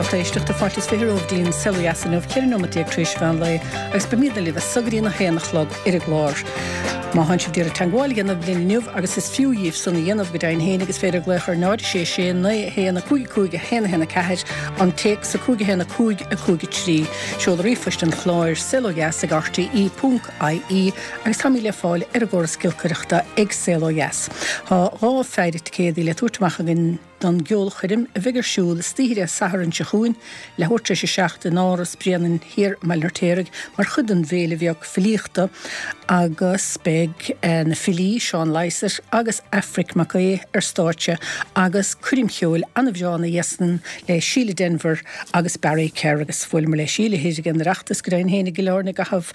Lucht éisteachta, fáilte is 20 romhaibh go dtí an Saol Ó Dheas inniu, 14 nóimeat tar éis mheán lae, agus beimidne libh as so go dtí an 1 a chlog ar an gclár. Má thánn sibh d'iarraidh teagmháil a dhéanamh linn inniu, agus is fiú dhíbh san a dhéanamh go deimhin féin, is féidir glaoch ar 0 6 6 9 1 5 5 1 1 4, an téacs 5 1 5 5 3, seoladh ríomhphoist an chláir, saolodheas ag rte ponc ie, agus táimid le fáil ar an gcóras giolcaireachta ag Saol Ó Dheas. Tá 2 pheidhre ticéadaí le tabhairt amach againn. don gceolchoirm a bheidh ar siúl istoíche Dé Sathairn seo chugainn, leathuair tar éis a 7 in Áras Bréanainn thiar i mBaile an Fheirtéaraigh mar chuid den bhFéile Bheag Filíochta agus beidh na filí Seán Lysaght agus Aifric Mac Aodha ar stáitse agus coirm cheoil an-bhreá ina dhiaidh san le Síle Denvir agus Barry Kerr agus bhuaileamar le Síle thoir ag an Oireachtas go deimhin féin i gCill Airne i gcaitheamh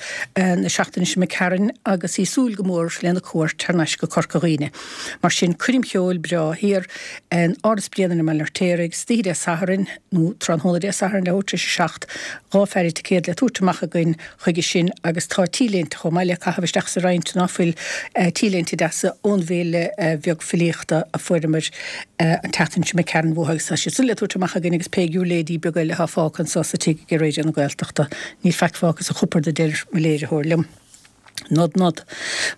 na seachtaine seo imigh tharainn agus í ag súil go mór lena cuairt thar n-ais go Corca Dhuibhne. Mar sin, coirm cheoil breá thiar in Áras Bréanainn i mBaile an Fheirtéaraigh, istoíche Dé Sathairn, nó tráthnóna Dé Sathairn, leathuair tar éis a 7, 2 pheidhre ticéad le tabhairt amach againn chuige sin agus tá T-léinte chomh maith le caitheamh isteach sa roinnt, ná fuil, T-léinte deasa ón bhFéile Bheag Filíochta a fuaireamar an tseachtain seo imigh tharainn uathu agus tá siad san le tabhairt amach againn agus pé giúirléidí beaga eile atá fágtha anso sa tigh ag Raidió na Gaeltachta. Níl faic fágtha sa chupard a deir mo léiritheoir liom. Nod nod.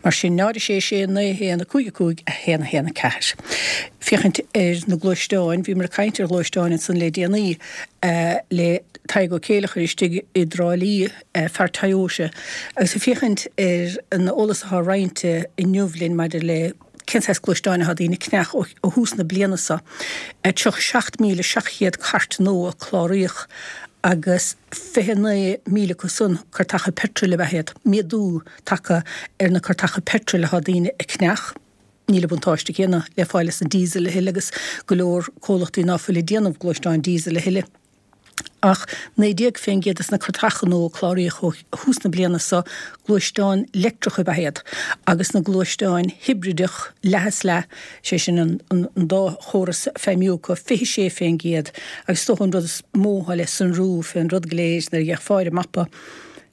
Mar sin, 0 6 6 9 1 5 5 1 1 4. Féachaint ar na gluaisteáin, bhíomar ag caint ar ghluaisteáin ansan le déanaí le Tadhg Ó Céileachair istigh i dTrá Lí, fear Toyota, agus ag féachaint ar an eolas atá roinnte inniu linn maidir le cén saghas gluaisteáin atá daoine ag ceannach ó thús na bliana seo. 37,700 cairt nua a cláraíodh agus 29,000 acu san cairteacha peitril ab ea iad. Méadú tagtha ar na cairteacha peitril atá daoine ag ceannach. Níl an buntáiste céanna le fáil as an diesel a thuilleadh agus go leor comhlachtaí ná fuil ag déanamh gluaisteáin diesel a thuilleadh. Ach 19% des na cairteacha nua a cláraíodh ó thús na bliana seo, gluaisteáin leictreacha ab ea iad, agus na gluaisteáin hibrideach leath is leath, sé sin an dá chóras ag feidhmiú acu, 26%. Agus is dócha an rud is mó atá le sonrú fén rud go léir nuair a d'fhéachfá ar an mapa,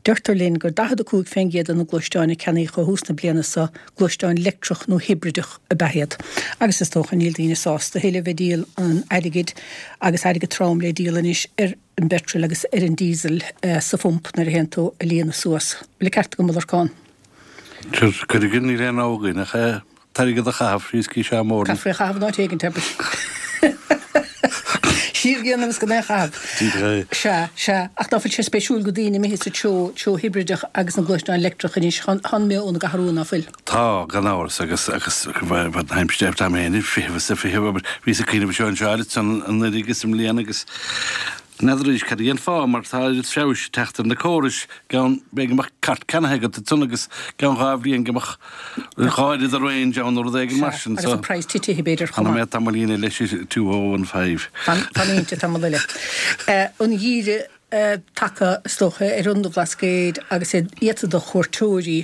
deirtear linn gur 45% de na gluaisteáin a ceannaíodh ó thús na bliana seo, gluaisteáin leictreach nó hibrideach ab ea iad. Agus is dócha níl daoine sásta a thuilleadh bheith ag díol an airgid agus airgead trom le díol anois ar an bpeitreal agus ar an diesel sa phump nuair a théann tú a líonadh suas. Bhfuil an ceart agam a Lorcán? Cuir againn, níl aon rogha againn ach é. t-airgead a chaitheamh, rioscaí sea mór. Caithfear é a chaitheamh in áit éigin, abair. Siar a dhéanamh is gan é a chaitheamh. Díreach é. Sea, sea. Ach ná fuil sé spéisiúil go daoine imithe sa treo, treo hibrideach agus na gluaisteáin leictreach anois, thá an meo óna gCathair Rua, ná fuil? Tá, gan amhras, agus, agus, bheith, tá mé féin ag feitheamh is ag feitheamh, abair, bhíos ag cuimhneamh anseo anseo ansan anuraidh agus i mbliana agus n'fheadar arís cad é an fáth mar tá oiread feabhais ag teacht ar na córais, gceann, b'fhéidir go mbeadh cairt ceannaithe agat ansan agus gceann 2 bhliain go mbeadh 2 oiread de range ann nó rud éigin mar sin. Agus an praghas titithe b'fhéidir chomh maith. Fanfaidh mé tamaillín eile leis 2015. Fan inti tamall eile. An geimhreadh tagtha is dócha ar an Bhlascaod agus iad iata do chuairteoirí.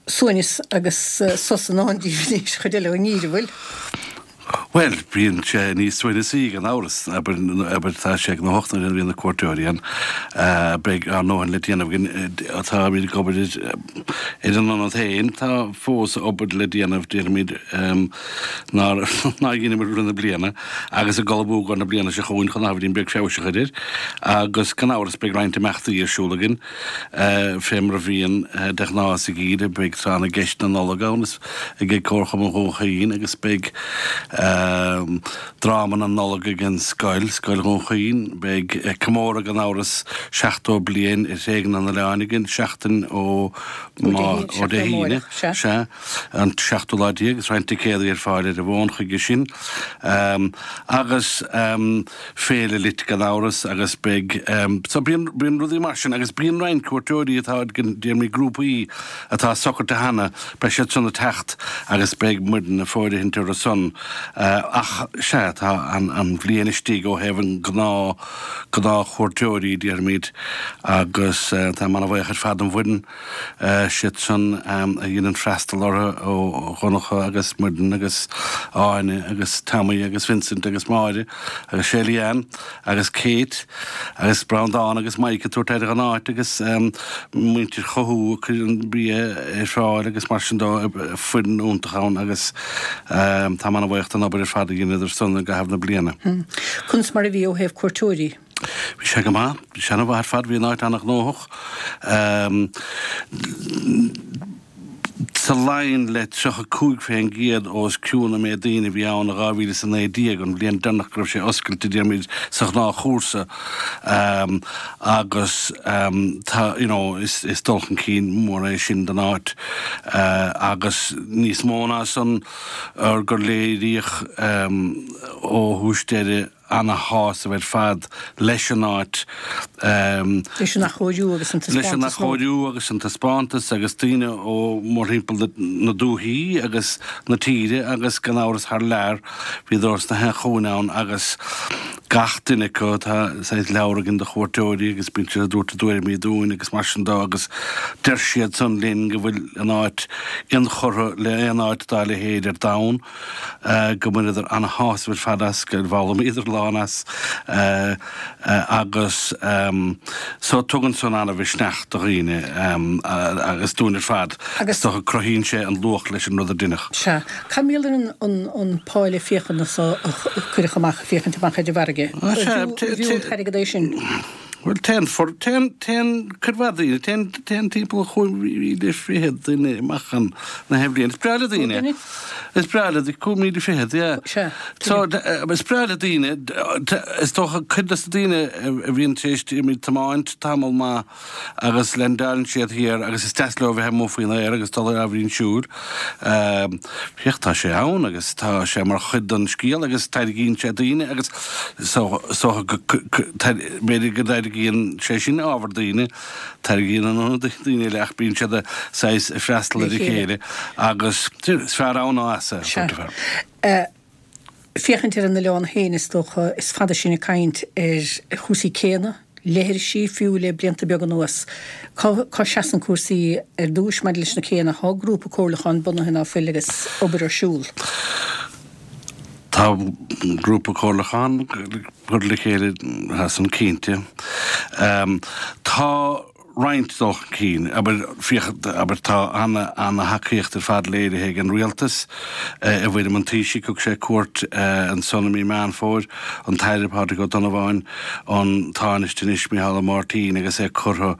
Suaimhneas agus sos i ndán daoibh anois, chuid eile den ngeimhreadh, bhfuil? Bhuel, bíonn sé níos suaimhneasaí gan amhras, abair, abair tá sé gnóthach nuair a bhíonn na cuairteoirí ann. Beidh ár ndóthain le déanamh againn, táimid ag obair ar, ar an ionad féin, tá fós obair le déanamh, déarfaimid, nár, nár dheineamar i rith na bliana agus ag ullmhú i gcomhair na bliana seo chugainn chun ábhairín beag feabhais a chur air agus gan amhras beidh roinnt imeachtaí ar siúl againn. Fé mar a bhíonn de ghnáth sa gheimhreadh, beidh Tráth na gCeist na Nollag ann ag Comharchumann Dhún Chaoin agus beidh Dráma na Nollag ag an scoil, Scoil Dhún Chaoin. Beidh comóradh gan amhras 70 bliain ar thréigean an oileáin againn seachtain ó ó Dé hAoine, sea, an seachtú lá déag, agus roinnt ticéadaí ar fáil ar an bhfón chuige sin. Agus. Féile Lit gan amhras agus beidh so bíonn bíonn rudaí mar sin agus bíonn roinnt cuairteoirí atá déarfaimid grúpaí atá socraithe cheana beidh siad san ag teacht agus beidh muidne ag fóirithint orthu san ach sea tá an an bhliain istigh ó thaobh an gnáth gnáthchuairteoirí déarfaimid agus táim ana-bhuíoch ar fad don bhfoireann siad san a dhéanann freastal orthu ó Dhonncha agus Muireann agus Áine agus Tommy agus Vincent agus Máire agus Shelly Ann agus Kate agus Breandán agus Mike ag tabhairt aire don áit agus muintir Chothú ag cur an bia ar fáil agus mar sin de foireann iontach ann agus táim ana-bhuíoch don obair. obair ar fad a dheineadar san i gcaitheamh na bliana. Conas mar a bhí ó thaobh cuairteoirí? Bhí sé go maith. Bhí sé ana-mhaith ar fad. Bhí an áit ana-ghnóthach. Sa Laighin le 35% os cionn an méid daoine a bhí ann i 2019, an bhliain deireanach go raibh sé oscailte, déarfaimid, sa ghnáthchúrsa agus tá, you know, is dul chun cinn mór é sin don áit agus níos mó ná san gur léiríodh ó thús deireadh ana-shásamh ar fad leis an áit. Leis an athchóiriú agus an taispeántas. Leis an athchóiriú agus an taispeántas agus daoine ó mórthimpeall na dúichí agus na tíre agus gan amhras thar lear, bhíodar ós na haon chúinne ann agus gach duine acu, tá saghas leabhar againn do chuairteoirí agus bíonn siad ag tabhairt a dtuairimí dúinn agus mar sin de agus deir siad san linn go bhfuil an áit inchurtha le aon áit dá leithéid ar domhan. go mbaineadar ana-shásamh ar fad as, gur fhoghlaimíodar a lán as agus so tugann san ana-mhisneach do dhaoine agus dúinn ar fad. Is dócha cruthaíonn sé an luach leis an rud a deineadh. Sea. Cad mar gheall ar an pháile féachana so a cuireadh amach, féachaint amach ar an bhfarraige? Arbh fhiú an t-airgead é sin? Bhuel, téann, téann, téann cuid mhaith daoine, téann, téann timpeall 25,000 duine amach ann na haon bhliain. Is breá le daoine. Is breá le, 25,000, yeah. Sea. So, is breá le daoine, is dócha cuid de na daoine a bhíonn tar éis tiomáint tamall maith agus leaindeálann siad thiar agus is deas leo a bheith amuigh faoin aer agus dul ar ábhairín siúil. Féach, tá sé ann agus tá sé mar chuid den scéal agus tarraingíonn sé daoine agus so, so go, b'fhéidir go dtarraingíonn sé sin ábhar daoine, tarraingíonn an ionad daoine eile ach bíonn siad saghas ag freastal ar a chéile agus is fearr ann ná as, a dúirt an fear. Féachaint ar an oileán féin, is dócha, is fada sinn ag caint ar chúrsaí céanna, leithrisí, fiú le blianta beaga anuas. Cá, cá seasann cúrsaí ar dtúis maidir leis na céanna? Tá grúpa comhairliúcháin bunaithe ná fuil agus obair ar siúl? Tá grúpa comhairliúcháin curtha le chéile, tá san cinnte. Tá roinnt dul chun cinn. Abair, féach, abair, tá ana, ana-thacaíocht ar fad léirithe ag an Rialtas i bhfoirm an Taoisigh. Thug sé cuairt ansan i mí Meán Fómhair, an tAire Pádraig Ó Donnabháin, an Tánaiste anois Micheál Ó Máirtín agus é curtha,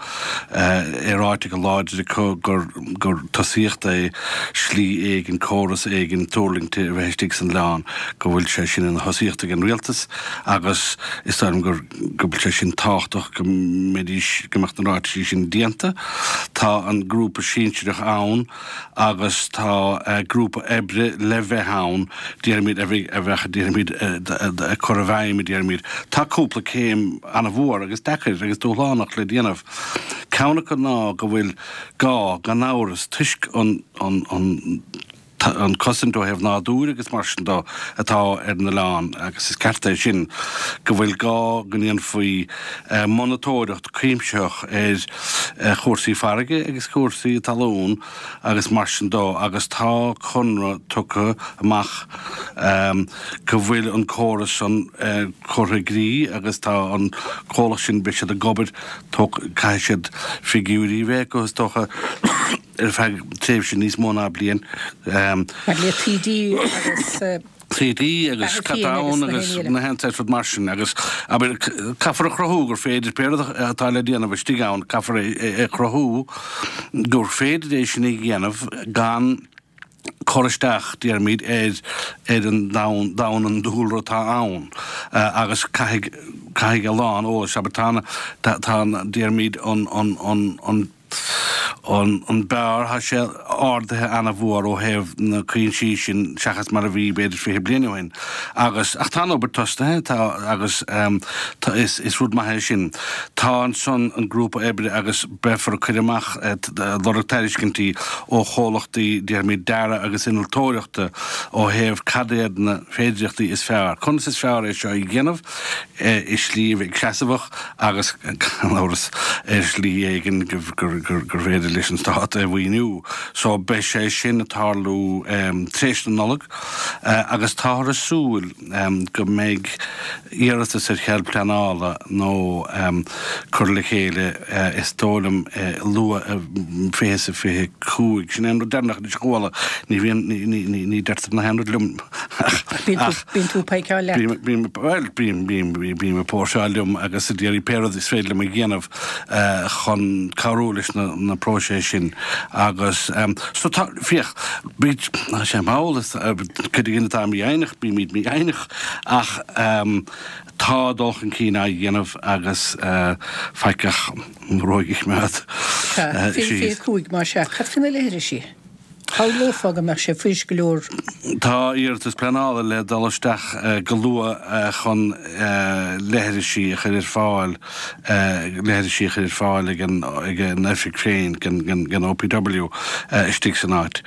é ráite go láidir acu gur, gur tosaíocht é slí éigin, córas éigin tuirlingte a bheith istigh san oileán, go bhfuil sé sin ina thosaíocht ag an Rialtas agus is dóigh liom gur. go bhfuil sé sin tábhachtach go mbeidís, go mbeadh na ráitisí sin déanta. Tá an grúpa sinsearach ann agus tá grúpa oibre le bheith ann, déarfaimid, a bheidh, a bheadh, déarfaimid, ag cur i bhfeidhm, déarfaimid. Tá cúpla céim an-mhór agus deacair agus dúshlánach le déanamh. Ceann acu ná go bhfuil gá, gan amhras, toisc an, an, an, an cosaint ó thaobh nádúir agus mar sin de atá ar an oileán agus is ceart é sin go bhfuil gá go ndéanfaí monatóireacht cuimsitheach ar chúrsaí farraige agus cúrsaí talún agus mar sin de agus tá conradh tugtha amach go bhfuil an córas san curtha i gcrích agus tá an comhlacht sin beidh siad ag obair caithfidh siad figiúirí a bheith acu is dócha. ar feadh tréimhse níos mó ná bliain. Mar le taoidí agus. Taoidí agus catáin agus na haon saghas rud mar sin agus abair caithfear a chruthú gur féidir pé rud atá le déanamh istigh ann caithfear é a chruthú gur féidir é sin a dhéanamh gan cur isteach déarfaimid ar ar an domhan domhan an dúlra atá ann agus caithfidh caithfidh a lán eolais abair tá tá tá déarfaimid an an an an An beár, tá sé ardaithe ana-mhór ó thaobh na cuinsí sin seachas mar a bhí b'fhéidir 20 bliain ó shin. Agus, ach tá an obair tosnaithe, tá agus tá, is, is rud maith é sin. Tá ansan an grúpa oibre agus beifear ag cur amach, lorg tairiscintí ó chomhlachtaí, déarfaimid, dearaidh agus innealtóireachta ó thaobh cad iad na féidireachtaí is fearr, conas is fearr é seo a dhéanamh i slí a bheidh seasmhach agus, gan amhras, ar shlí éigin gur féidir linn. leis an Stát é a mhaoiniú. So beidh sé sin ag tarlú tar éis na Nollag agus táthar ag súil go mbeidh iarratas ar chead pleanála nó curtha le chéile is dóigh liom luath i 2025. Sin é an rud deireanach anois a chuala. Ní bhíonn, ní deirtear na haon rud liom ach. Bíonn tú ag péiceáil leat. Bím, bhuel, bím, bím, bím ag póirseáil liom agus ag iarraidh pé rud is féidir liom a dhéanamh chun cabhrú leis na próiseas sin agus so tá, féach, bí, tá sé mall, is cuid againn atá mífhoighneach, bímid mífhoighneach ach tá dul chun cinn á dhéanamh agus faic ach an ghruaig a choimeád Sea, 2025 más ea. Cad faoi na leithrisí? Shamhlófá go mbeadh sé fuirist go leor. Tá iarratas pleanála le dul isteach go luath chun leithrisí a chur ar fáil leithrisí a chur ar fáil ag an ag an oifig féin den OPW istigh san áit.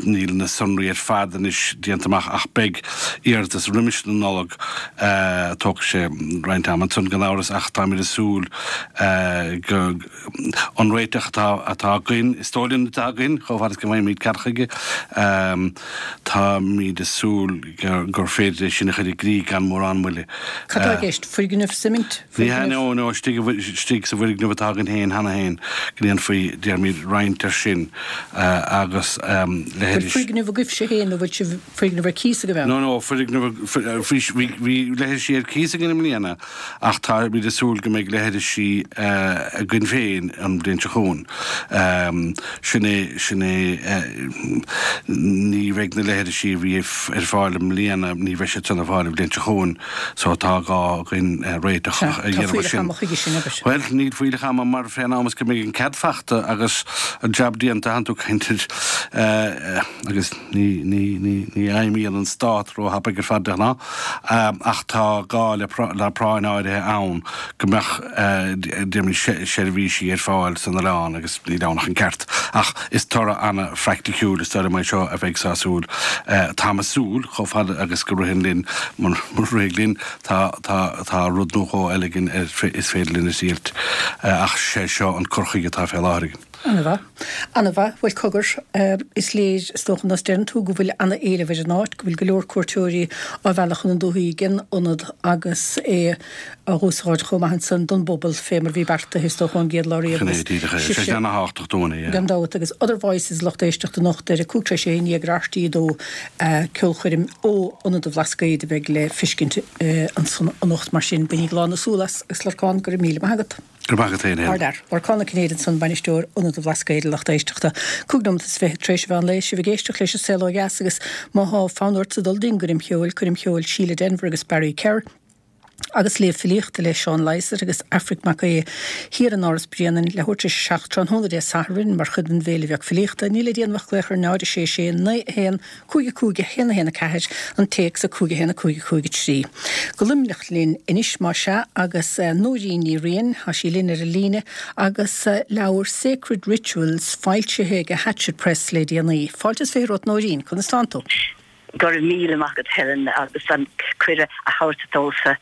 Níl na sonraí ar fad anois déanta amach ach beidh iarratas roimis na Nollag. Tógfaidh sé roinnt ama ansan gan amhras ach táimid ag súil go An réiteach atá atá againn, is dóigh linn atá againn, chomh fada is go bhfaighimid cead chuige, táimid ag súil gur féidir é sin a chur i gcrích gan mórán moille. Cad tá i gceist? Foirgneamh suimint? Ní hea, no, no, istigh, istigh sa bhfoirgneamh atá againn féin cheana féin, go ndéanfaí, déarfaimid, roinnt air sin agus leithris. Bhfuil foirgneamh agaibhse féin nó bhfuil sibh foirgneamh ar cíos agaibh ann? No, no, foirgneamh, bhí, bhí leithrisí ar cíos againn i mbliana Ach táimid ag súil go mbeidh leithrisí againn féin an bhliain seo chugainn. Sin é, sin é, ní bheidh na leithrisí a bhí ar fáil i mbliana, ní bheidh siad san ar fáil an bhliain seo chugainn, so tá gá againn réiteach a dhéanamh air sin. Tá fuílleach ama chuige sin, abair. Bhuel, níl fuílleach ama mar fén am is go mbeidh an cead fachta agus an jab déanta, tánn tú ag caint ar, agus ní, ní, ní, ní fheidhmíonn an stát róthapaidh ar fad de ghnáth. Ach tá gá le práinn áirithe ann go mbeadh déarfaimid seirbhísí ar fáil san oileán agus níl ann ach an ceart. Ach is toradh an-phraiticiúil is dóigh liom é seo a bheidh sásúil. Táim ag súil, chomh fada agus go ritheann linn, mura rithfidh linn, tá tá rud nó dhó eile againn is féidir linn a thriailt. Ach sé seo an cur chuige atá fé láthair againn. Ana-mhaith. Ana-mhaith. Bhuel, cogar, is léir, is dócha, nós deireann tú, go bhfuil ana-éileamh ar an áit, go bhfuil go leor cuairteoirí á mhealladh chun na dúthaí den ionad agus é á úsáid chomh maith ansan don bpobal, fé mar a bhí beartaithe, is dócha, ón gcéad lá riamh. Sin é díreach é. Sé sin ana-thábhachtach dúinn, yeah. Gan dabht. Agus Other Voices, lucht éisteachta anocht ar 11:35 ar RTÉ 2, ceolchoirm ó Ionad an Bhlascaoid a bheidh le fiscint ansan anocht. Mar sin, bainigí lán na súl as agus Lorcán, go raibh míle maith agat. Go raibh maith agat féin, Helen. Ardfhear. Lorcán Ó Cinnéide ansan, Bainisteoir Ionad an Bhlascaoid, a lucht éisteachta. 25 nóimeat tar éis an mheán lae, sibh ag éisteacht leis an Saol Ó Dheas agus má thá fonn ortsa dul don gcoirm cheoil, coirm cheoil Síle Denvir agus Barry Kerr, agus léamh filíochta le Seán Lysaght agus Aifric Mac Aodha thiar in Áras Bréanainn, leathuair tar éis a 7 tráthnóna Dé Sathairn mar chuid den bhFéile Bheag Filíochta. Níl le déanamh ach glaoch ar 0 6 6 9 1 5 5 1 1 4, an téacs 5 1 5 5 3. Go Luimneach linn anois más ea agus Nóirín Ní Riain, tá sí linn ar an líne agus leabhar Sacred Rituals foilsithe ag Hachette Press le déanaí. Fáilte is 20 romhat Nóirín, conas tánn tú? Go raibh míle maith agat Helen agus an cuireadh a thabhairt domhsa.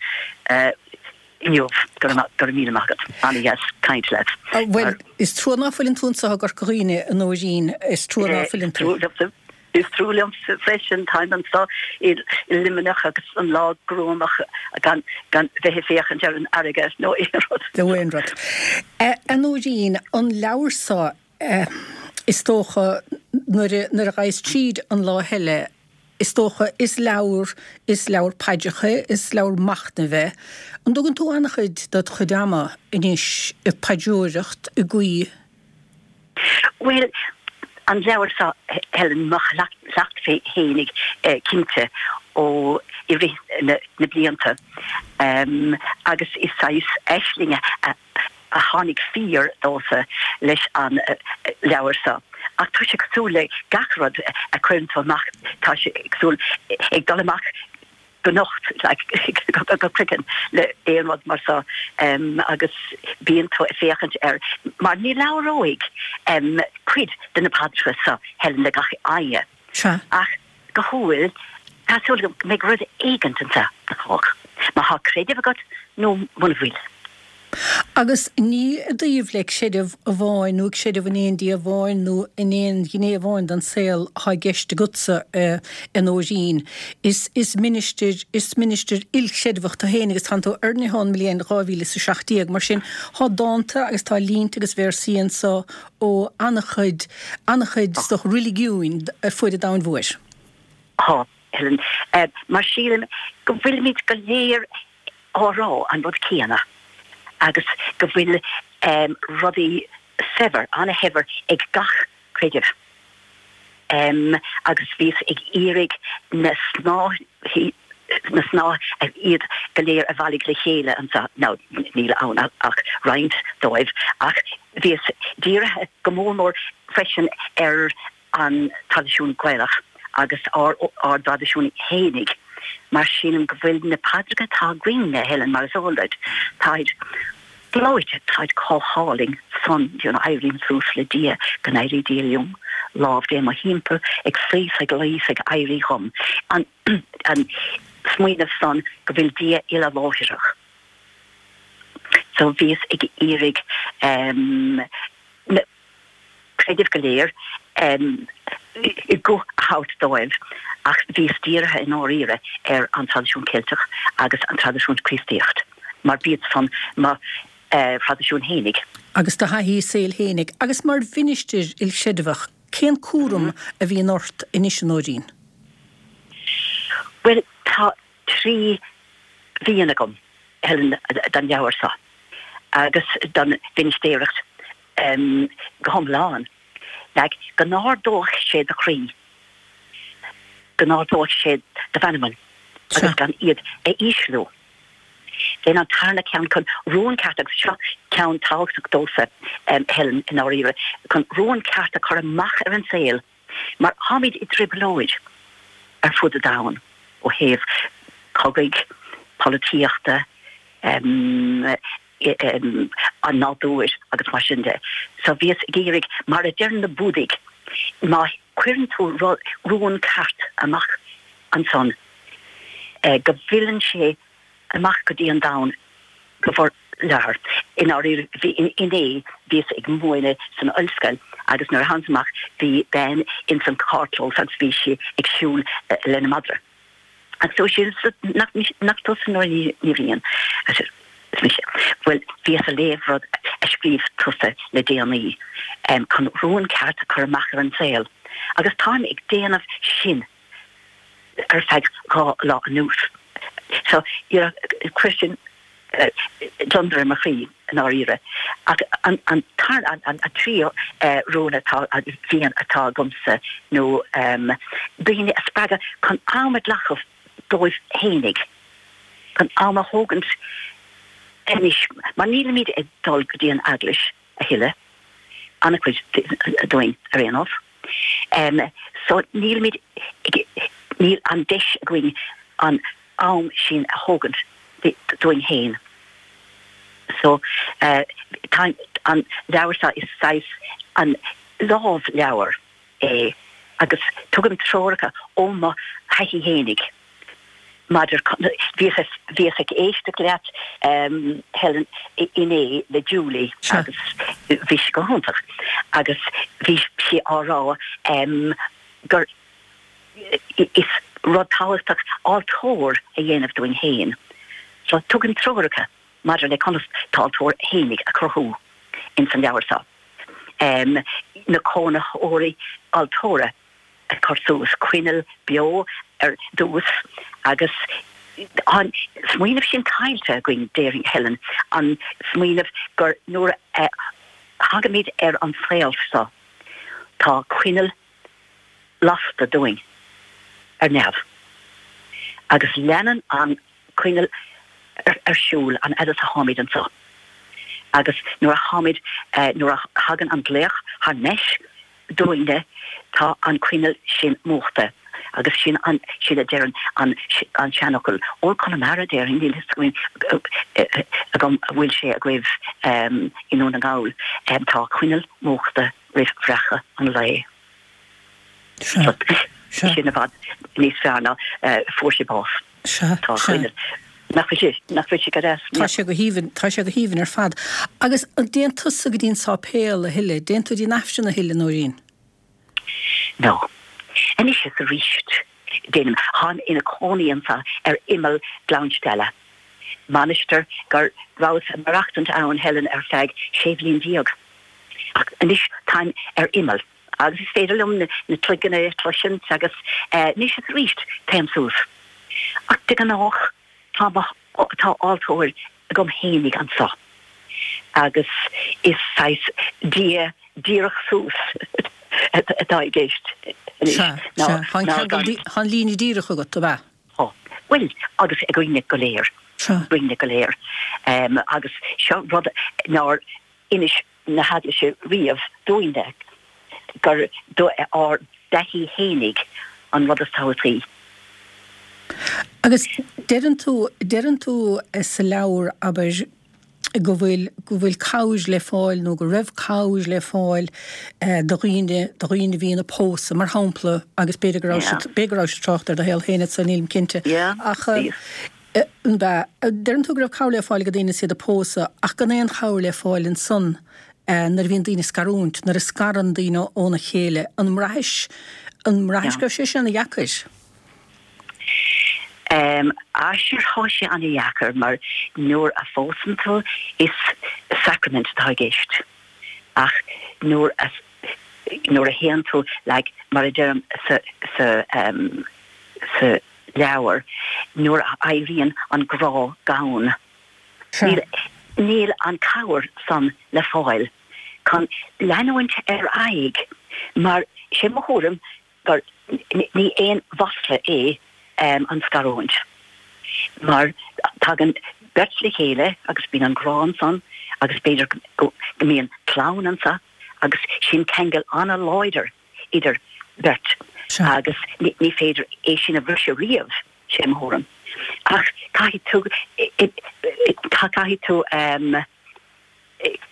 inniu. Go raibh míle maith agat. Ana-dheas caint leat. Bhuel, is trua ná fuileann tú anseo i gCorca Dhuibhne, a Nóirín. Is trua ná fuileann tú. Is trua liomsa freisin. Táim anseo i Luimneach agus an lá gruamach gan gan bheith ag féachaint ar an fharraige nó aon rud. Nó aon rud. A Nóirín, an leabhar seo, is dócha, nuair a ghabhas tríd an lá eile, Is dócha, is leabhar, is leabhar paidreacha é, is leabhar machnaimh é. An dtugann tú an-chuid dod chuid ama anois ag paidreoireacht, ag guí? Bhuel, an leabhar seo, Helen, mo chleachtadh féinig cinnte ó i rith na blianta agus is saghas aisling a a tháinig fíor domhsa leis an leabhar seo. Ach tá sé cosúil le gach rud a chuireann tú amach, tá sé cosúil ag dul amach go nocht, like, go craiceann le aon rud mar seo agus bíonn tú ag féachaint air mar ní labhróidh cuid de na paidreacha seo, Helen, le gach éinne. Sea. Ach go hiondúil, tá súil agam go mbeidh rud éigint anseo do chách, má thá creideamh agat nó muna bhfuil. Agus ní i dtaobh le creideamh amháin nó creideamh in aon Dia amháin nó in aon ghné amháin den saol atá i gceist agatsa, a Nóirín. Is is ministir is ministir ilchreidmheach tú féin agus tánn tú oirnithe ón mbliain 2017. Mar sin, tá dánta agus tá línte agus véarsaí anso ó an-chuid an-chuid is dócha reiligiúin ar fuaid an domhain mhóir. Tá, Helen. Mar sílim go bhfuilimid go léir á rá an rud céanna agus go bhfuil rudaí saibhir, ana-shaibhir ag gach creideamh. Agus bhíos ag iarraidh na snáithí, na snáithe iad go léir a bhailigh le chéile anseo, now níl ann ach roinnt dóibh, ach bhíos dírithe go mór mór freisin ar an traidisiún Gaelach agus ár dtraidisiún fhéinig mar sílim go bhfuil na paidreacha atá againn, a Helen, mar is eol duit, táid gleoite, táid chomh hálainn san, you know, éirím suas le Dia, go n-éirí Dia liom, lámh Dé mo thimpeall, ag suí 's ag luí 's ag éirí dhom, an an smaoineamh san go bhfuil Dia uile-láithreach. So bhíos ag iarraidh na. creidimh go léir guth a thabhairt dóibh ach bhíos dírithe i ndáiríre ar an traidisiún Ceilteach agus an traidisiún Críostaíocht mar b'iad san mo thraidisiún fhéinig. Agus do thaithí saoil fhéinig. Agus mar mhinistir ilchreidmheach, cén cúram a bhíonn ort anois, a Nóirín? Bhuel, tá 3 mhian agam, Helen, don leabhar seo agus don mhinistéireacht go hiomlán. Like, go n-ardóidh sé do chroí, go n-ardóidh sé do mheanman agus gan iad a ísliú. Then an tarna ceann chun rún ceart, agus seo ceann tábhachtach domhsa, Helen, i ndáiríre, chun rún ceart a chur amach ar an saol mar táimid i dtrioblóid ar fud an domhain ó thaobh cogaidh, polaitíochta, an nádúir agus mar sin de. So bhíos ag iarraidh, mar a deireann na Búdaigh, má chuireann tú rún ceart amach ansan, go bhfilleann sé amach go dtí an domhan go forleathan. I ndáiríre, bhí, inné bhíos ag múineadh san ollscoil agus nuair a thánas amach bhí bean ins an carrchlós agus bhí sí ag siúl lena madra. Agus dúirt sí, nach, nach tusa Nóirín Ní Bhriain? I said, Is mise. Bhuel, bhíos a léamh rud a scríobh tusa le déanaí, chun rún ceart a chur amach ar an saol. Agus táim ag déanamh sin ar feadh 2 lá anuas. So, you know, chuir sin gliondar ar mo chroí, i ndáiríre. Ach an, an, an, an tríú rún atá, mhian atá agamsa nó daoine a spreagadh chun am a ghlacadh dóibh fhéinig, chun am a thógaint anois, mar nílimid ag dul go dtí an eaglais a thuilleadh, an-chuid dúinn ar aon nós. So nílimid ag, níl an deis againn an am sin a thógaint dúinn féin. So tá an leabhar seo, is saghas an lámhleabhar é agus tugaim treoracha ó mo thaithí fhéinig maidir, bhíos, bhíos ag éisteacht leat Helen inné le Julie agus bhí sé go hiontach agus bhí sí á rá gur Is rud tábhachtach altóir a dhéanamh dúinn féin. So tugaim treoracha maidir le conas d'altóir fhéinig a chruthú ins an leabhar seo. Na cónaitheoirí altóra a chur suas, coinneal beo ar dtús agus an smaoineamh sin caillte againn, déarfainn, Helen, an smaoineamh gur nuair a thagaimid ar an saol seo tá coinneal lasta dúinn ar neamh agus leanann an coinneal ar siúl an fhad is a tháimid anseo agus nuair a tháimid, nuair a thagann an glaoch thar n-ais dúinne tá an coinneal sin múchta agus sin an, sin a deireann an, an seanfhocal ó Conamara déarfainn, níl fhios agam an bhfuil sé agaibh i nDún na nGall, tá coinneal múchta roimh bhreacadh an lae. Sea. Sin i bhfad níos fearr ná fuair sé bás. Sea. Tá coinneal. Nach bhfuil sé, nach bhfuil sé go deas? Tá sé go haoibhinn, tá sé go haoibhinn ar fad. Agus an dtéann tusa go dtí an sáipéal a thuilleadh? Dtéann tú dtí an Aifreann a thuilleadh, Nóirín? No. Anois is aríst, déanaim. Táim ina cónaí anso ar imeall Ghleann Stealla, mainistir go rabhas ag maireachtaint ann, Helen, ar feadh 16 bhliain. Ach anois táim ar imeall agus is féidir liom na cloigeanna a chloisint agus anois is aríst téim suas. Ach de ghnách tá mo, tá altóir agam fhéinig anso agus is saghas Dia díreach suas atá i gceist anois Sea, ná, sea. Tá an ná ceangal, gan. tá an líne díreach agat, ab ea? Tá. Bhuel, agus againne go léir. Sea. Againne go léir. Agus seo rud nár inis na heaglaise riamh dúinne gur do ár dtaithí fhéinig an rud is tábhachtaí. Agus deireann tú, deireann tú sa leabhar, abair, go bhfuil, go bhfuil cabhair le fáil nó go raibh cabhair le fáil do dhaoine, do dhaoine a bhíonn ag pósadh, mar shampla, agus b'fhéidir go raibh siad, b'fhéidir go raibh siad ag trácht ar do shaol féin anso, nílim cinnte. Ach. An ea? Deireann tú go raibh cabhair le fáil ag daoine is iad ag pósadh, ach gan aon chabhair le fáil ansan nuair a bhíonn daoine ag scarúint, nuair a scarann daoine óna chéile. An mbraithis, an mbraithis go raibh sé sin ana dheacair? Ah sure tá sé ana dheacair mar nuair a phósann tú is sacraimint atá i gceist ach nuair a, nuair a théann tú like mar a deirim sa, sa, sa, leabhar, nuair a éiríonn an grá gann, níl, níl an cabhair san le fáil chun leanúint ar aghaidh mar sé mo thuairim gur ní aon mhasla é an scarúint mar tagann beirt le chéile agus bíonn an grá ansan agus b'fhéidir go mbíonn clann anso agus sin ceangal an-láidir. idir beirt agus ní féidir é sin a bhriseadh riamh, sé mo thuairim. Ach caithfidh tú, caithfidh tú,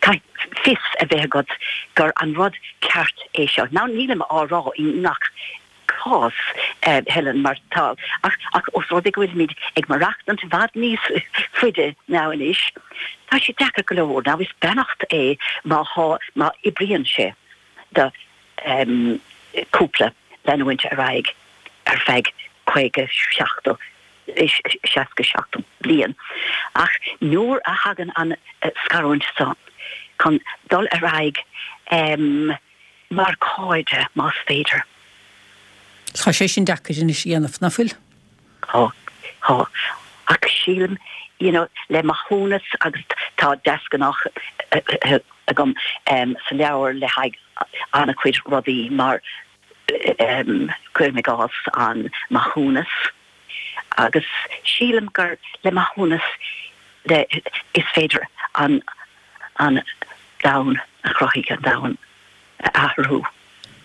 caithfidh fios a bheith agat gur an rud ceart é seo. Now nílim á rá i ngach cás, Helen, mar tá, ach, ach os rud é go bhfuilimid ag maireachtaint i bhfad níos faide now anois, tá sé deacair go leor. Now is beannacht é má thá, má oibríonn sé. do chúpla leanúint ar aghaidh ar feadh 50, 70, 60, 70 bliain. Ach nuair a thagann an scarúint seo chun dul ar aghaidh mar chairde, más féidir. Tá sé sin deacair anois a dhéanamh, nach bhfuil? Tá, tá. Ach sílim, you know, le maithiúnas agus tá deasghnách agam sa leabhar le haghaidh an-chuid rudaí mar cuirim i gcás an maithiúnas agus sílim gur le maithiúnas le is féidir an an domhan a chruthaigh an domhan a athrú.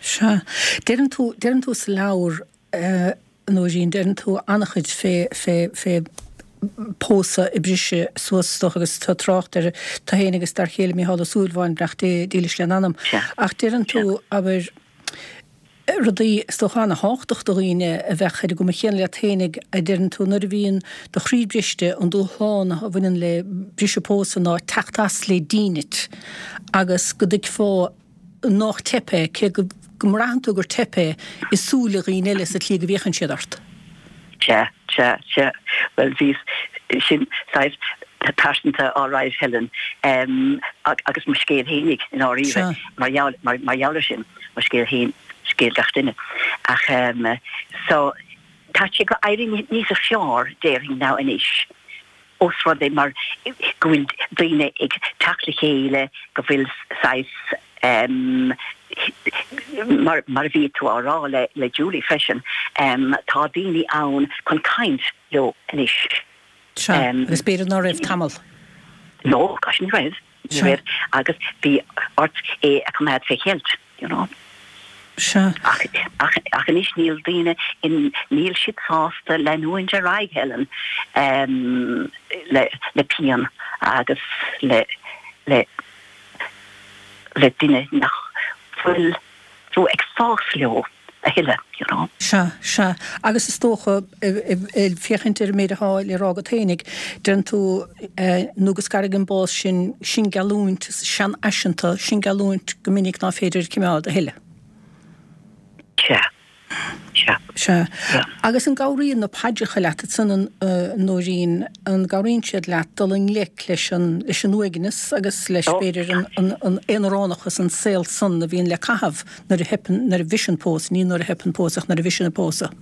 Sea. Deireann tú, deireann tú sa leabhar, A Nóirín, deireann tú an-chuid fé, fé, fé pósadh ag briseadh suas is dócha agus tá trácht ar tú féin agus d'fhear chéile Mícheál Ó Súilleabháin, beannacht Dé dílis lena anam. Ach deireann tú, abair, rudaí is dócha an-thábhachtach do dhaoine a bheadh ar an gcuma chéanna leat féinig, a deireann tú, nuair a bhíonn do chroí briste, an dúshlán a bhaineann le briseadh pósadh ná teacht as le dínit agus go dtuigfeá nách teip é, cé go mbraitheann tú gur teip é i súile dhaoine eile sa tslí go bhféachann siad ort. Sea, sea, sea. Bhuel, bhíos, sin saghas pearsanta all right, Helen, agus mo scéal fhéinig i ndáiríre, mar gheall, mar gheall ar sin, mo scéal féin, scéal gach duine. Ach, so, tá sé ag éirí níos fearr, déarfainn, now anois. Ós rud é mar go bhfuil daoine ag teacht le chéile, go bhfuil saghas, mar mar a bhí tú á rá le le Julie freisin, tá daoine ann chun caint leo anois. Sea, agus b'fhéidir ná raibh tamall. No, gosh, ní raibh. Ní raibh agus bhí ort é a choimeád fé cheilt, you know. Sea. Ach, ach, ach anois níl daoine in, níl siad sásta leanúint ar aghaidh, Helen, em, le, le pian agus le, le, le duine nach bhfuil tú ag fás leo. A thuilleadh, you know. Sea, sea. Agus is dócha, ag féachaint ar an méid atá le rá agat fhéinig, deireann tú, nó go scarfaidh an bás sinn, sin geallúint seanfhaiseanta, sin geallúint go minic ná féidir a chimeád a thuilleadh. Sea. Sea. Sea. Agus an gcabhraíonn na paidreacha leat ansan, a Nóirín, an gcabhraíonn siad leat dul i ngleic leis an, leis an uaigneas agus leis, b'fhéidir, an, an, an aonaránachas, an saol san a bhíonn le caitheamh nuair a theipeann, nuair a bhriseann pósadh, ní nuair a theipeann pósadh ach nuair a bhriseann an pósadh?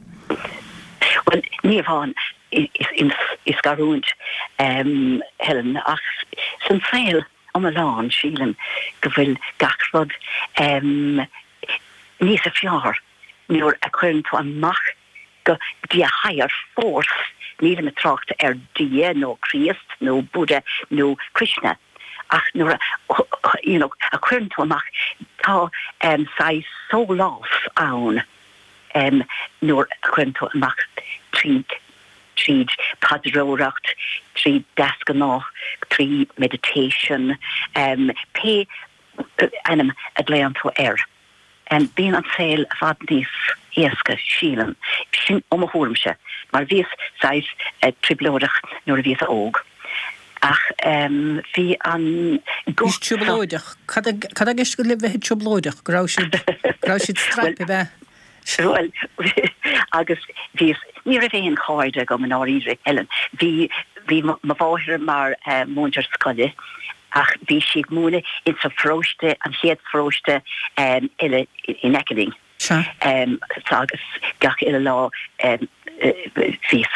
Bhuel, ní amháin i scarúint, Helen, ach san saol iomlán, sílim go bhfuil gach rud níos fearr nuair a chuireann tú amach go dtí a higher force, nílim ag trácht ar Dia nó Críost nó Buddha nó Krishna, ach nuair a you know a chuireann tú amach tá saghas sólás ann nuair a chuireann tú amach tríd tríd paidreoireacht, trí deasghnáth, trí meditation, pé ainm a ghlaonn tú air. Bíonn an saol i bhfad níos éasca, sílim. Sin ó mo thuairimse, mar bhíos saghas trioblóideach nuair a bhíos óg. Ach bhí an guth seo. Trioblóideach? Cad tá i gceist agat le bheith trioblóideach? Go raibh siad, go raibh siad straidhpe, ab ea? Bhuel, agus bhíos, ní raibh aon chairde agam i ndáiríre, Helen. Bhí, bhí mo mháthair mar mhúinteoir scoile ach bhí sí ag múineadh insa pharóiste, an chéad pharóiste eile in aice linn. Sea. Agus gach uile lá bhíos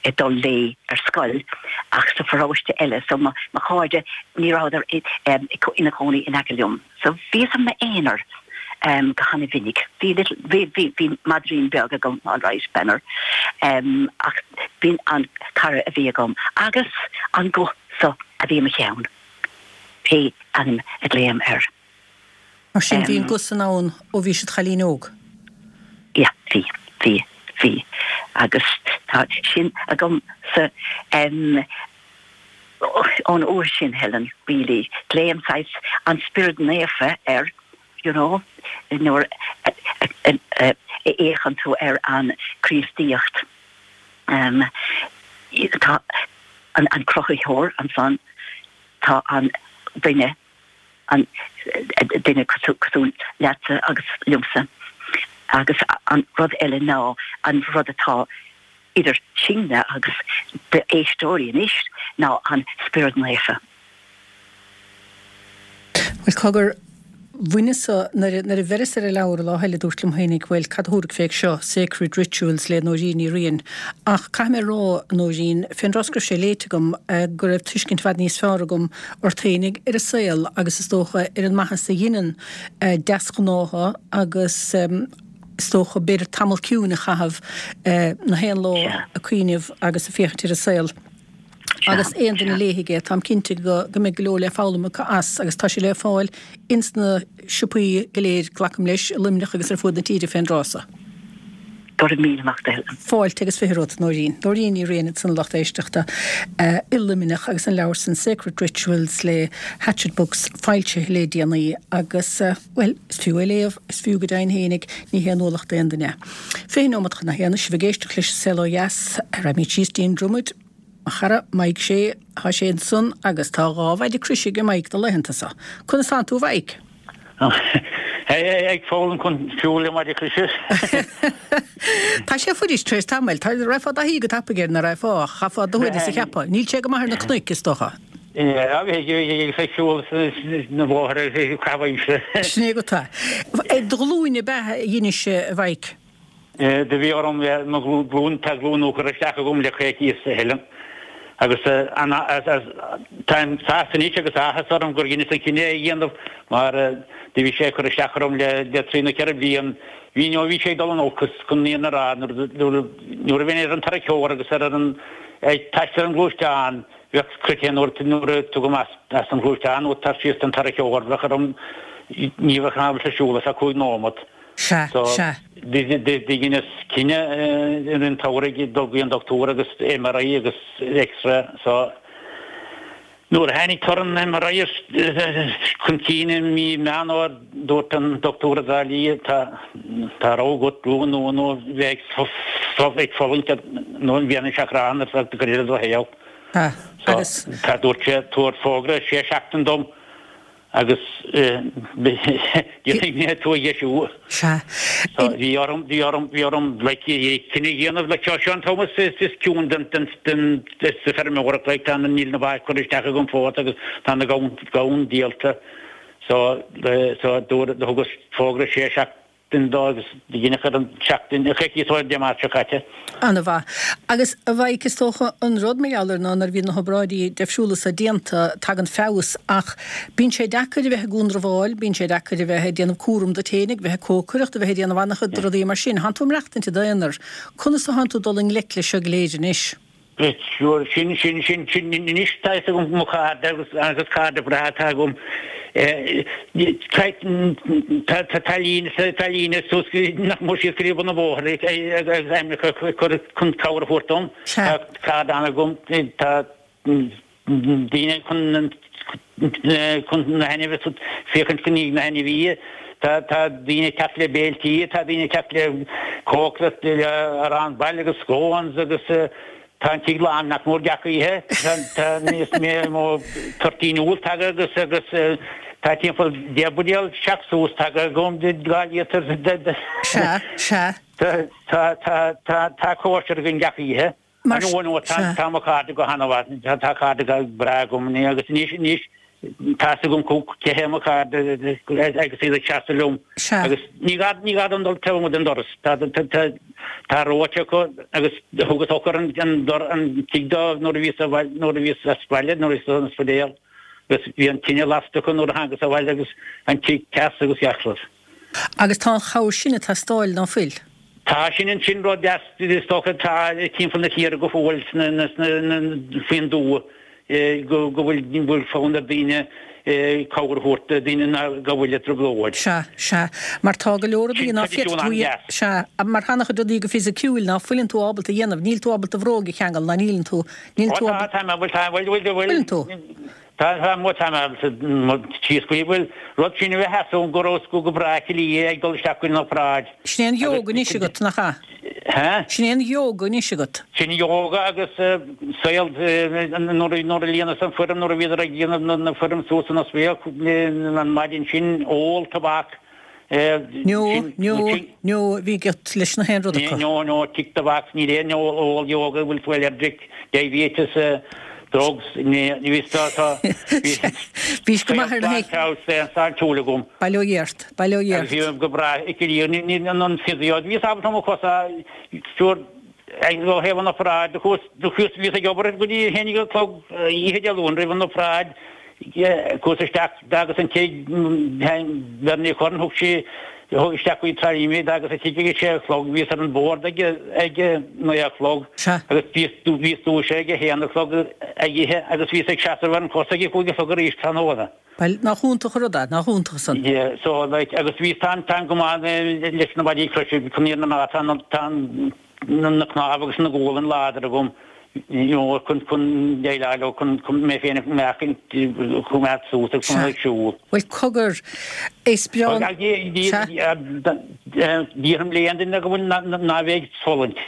ag dul léi ar scoil ach sa pharóiste eile. So mo chairde, ní rabhadar ina gcónaí in aice liom. So bhíos i m'aonar go hana-mhinic. Bhí little, bhí, bhí, bhí maidrín beag agam, all right, Banner, ach b'in an cara a bhí agam agus an guth so a bhí i mo cheann, pé ainm a ghlaoim air. Mar sin, bhí an guth san ann ó bhís id chailín óg? Yeah, bhí, bhí, bhí. Agus tá sin agamsa. Ón uair sin, Helen, really, glaoim saghas an Spiorad Naofa air, you know, nuair a fhéachann tú ar an Chríostaíocht. Tá an Cruthaitheoir ansan, tá an duine, an duine cosúil leatsa agus liomsa, agus an rud eile ná an rud atá idir sinne agus d'éisteoirí anois ná an Spiorad Naofa. Bhuel, cogar, bhaineas-sa, nuair a, nuair a bheireas ar an leabhar an lá eile, dúrt liom féinig, bhuel, cad a thabharfadh fé seo, Sacred Rituals le Nóirín Ní Riain. Ach caithfidh mé a rá, Nóirín, fén dtráth go raibh sé léite agam, go raibh tuiscint i bhfad níos fearr agam ort féinig, ar an saol agus is dócha ar an maitheas a dheineann deasghnátha agus, is dócha, b'fhéidir tamall ciúin a chaitheamh na haon lá ag cuimhneamh agus ag féachaint ar an saol. Agus aon duine a léifidh é, táim cinnte go mbeidh go leor le foghlaim acu as agus tá sé le fáil ins na siopaí go léir, glacaim leis, i Luimneach agus ar fuaid na tíre fén dtráth so. Go raibh míle maith agat. Fáilte agus 20 romhat, Nóirín. Nóirín Ní Riain ansan a lucht éisteachta i Luimneach agus an leabhar san Sacred Rituals le Hachette Books foilsithe le déanaí agus, bhuel, is fiú é léamh, is fiú go deimhin fhéinig, ní haon ualach d'aon duine. 20 nóimeat chun a haon, sibh ag éisteacht leis an Saol Ó Dheas, raghaimid síos dtí'n Dromaid, mo chara Mike Shea, tá sé ansan agus tá 2 mhaide croise ag Mike na laethanta so. Conas tánn tú a Mhike? Ag foghlaim chun siúl le maide croise. Tá sé fuirist tar éis tamaill. Tá, raghfá i dtaithí go tapaidh air, ná raghfá, ach chaithfeá do shuaimhneas a cheapadh. Níl sé go maith ar na cnoic, is dócha. Bhí ag siúl na bóithre ag caitheamh aimsire. Sin é agat é. Ar do ghlúin ab ea a dheinis, a Mhaidhc? Do bhí orm mo ghlúin, tá glúin nua curtha isteach agam le coicíos, a Helen. Agus táim sásta anois agus áthas orm gur dheineas an cinneadh é a dhéanamh mar do bhí sé ag cur isteach orm le trí nó 4 bliain. Bhí nó bhí sé ag dul in olcas chun an fhírinne a rá nuair a bhínn ar an tarracóir agus ar an ag taisteal ar an ghluaisteán bheadh craiceann nuair a tugaim as an ghluaisteán nó tar síos den tarracóir bheadh orm ní bheadh ábalta siúl ar feadh 5 nóimeat. Sea, So, sea. do dheineas cinneadh i rith an tsamhraidh dul go dtí an dochtúir agus MRI agus X-ray so. Nuair a tháinig toradh an MRI chun cinn i mí Meán Fhómhair, dúirt an dochtúir i dTrá Lí, tá tá rogha agat glúin nua nó bheith ag fulaingt nó an bhliain seo ar feadh cuid eile de do shaol. Agus. Tá dúirt sé, tabhair fógra sé seachtain dom. Agus déanfaidh mé tú a dheisiú. Sea. So bhí orm, bhí orm, bhí orm like cinneadh a dhéanamh like seo, seo an t-am is, is, is ciúin den, den, den, sa feirmeoireacht like tá na, níl na ba curtha isteach agam fós agus tá na gamhain, gamhain díolta. So, so dúr, thugas fógra sé seachtain dó agus dheineadh ar an tseachtain, coicíos ó Dé Máirt seo caite. Ana-mhaith. Agus a Mhaidhc, is dócha an rud mar gheall air ná nuair a bhíonn na hobráidí deifriúla so déanta, tagann feabhas ach bíonn sé deacair a bheith ag iondramháil, bíonn sé deacair a bheith ag déanamh cúram duit féin, ag bheith ag cócaireacht, a bheith ag déanamh an-chuid de rudaí mar sin. Thánn tú ag maireachtaint i d'aonar. Conas a thánn tú ag dul i ngleic leis seo go léir anois? Sure, sin, sin, sin, sin, anois tá fhios agam mo chairde agus, agus cairde breátha atá agam, tá, tá, tá líne, tá líne suas nach mór síos go dtí bun an bhóthair agus ainmneacha a chur chun cabhair a thabhairt dom. Tá cairde ann agam, tá daoine chun, chun na hainmhithe, féachaint i ndiaidh na hainmhithe, tá, tá daoine ag teacht le béiltí, tá daoine ag teacht le cócaireacht, le arán baile agus scones agus tá an tigh lán nach mór gach oíche, tá, tá níos mó toirtín úll tagtha agus, agus tá timpeall 10 buidéal seach suas tagtha agam de 2 líotar de, Sea, sea. tá, tá, tá, tá, tá cóisir againn gach oíche. Mar No, no, sea. tá mo chairde go han-mhaith, tá cairde go breá agam agus anois, anois, tá fhios agam cé hé mo chairde agus iad ag seasamh liom. Sea. Agus ní gá, ní gá dom dul taobh amuigh den doras, tá, tá, tá, tá reoite acu agus thugas eochair an, an, an tigh dóibh nuair a bhíos sa bhaile, nuair a bhíos as baile, nuair a bhíos san ospidéal agus bhí an tine lasta acu nuair a thángas abhaile agus an tigh deas agus gach rud. Agus tá an chabhair sin ag teastáil, ná fuil? Tá, sin an sin rud deas is dócha atá timpeall na tíre go fóill sna faoin dtuath go go bhfuil bhfuil fonn ar daoine cabhair a thabhairt do daoine ná go bhfuil i dtrioblóid. Sea, sea. Mar tá go leor rudaí Sin ná féadfaidh traidisiún tú an-deas. Sea, mar tá an-chuid rudaí go fisiciúil ná fuileann tú ábalta a dhéanamh. Níl tú ábalta do bhróg a cheangal ná níleann tú, níl Ó tú tá, ábalta. tá mé, bhfuil, tá, bhfuil, bhfuil, bhfuil. Fuileann tú. Tá, tá, mo, tá mé ábalta mo síos go dtí, bhuel, rud sin a bheith as ón go raibh go breá Cill ag dul isteach go dtí an obráid. Sin é an yoga anois agat, nach ea? Hä? Sin é an yoga anois agat. Sin yoga agus saol nuair nuair a líonas an foirm, nuair a bhíodar ag déanamh na foirm suas san ospidéal an maidin sin, ól tobac, No, no, no, bhí agat leis na haon rud acu. No, no, tick the box, níl aon ól yoga, bhfuil tú allergic, diabetes, drugs, ní bhí tá, tá, bhí Bhís go maith ar na sláintiúil agam. Bail ó Dhia ort, bail ó Dhia ort. Agus bhí go breá, ní an physio, bhíos ábalta mo chosa, sure, ó thaobh an obráid, do chuas, do chuas, bhíos ag obair go dtí a haon déag a chlog oíche Dé Luain roimh an obráid, Chuas isteach d'fhágas an tigh, Bernie Curran, thug sí isteach go Trá Lí mé, d'fhágas an tigh ag a sé a chlog, bhíos ar an bord ag ag a naoi a chlog agus bhíos bhíos dúisithe ag a haon a chlog ag ithe agus bhíos ag seasamh ar an chos ag a cúig a chlog arís tráthnóna. Bhuel, nach iontach an rud é, nach iontach san. Yeah, so like, agus bhíos táim táim go maith leis na maidí croise, chun na fírinne a rá, tá tá an na cnámha agus na gualainn láidir agam you know chun chun déileáil leo chun chun mé féin a mheáchaint choimeád suas agus chun ag siúl. Bhuel cogar, is breá an. Déarfainn le aon duine go bhfuil ná bheith ag fulaingt.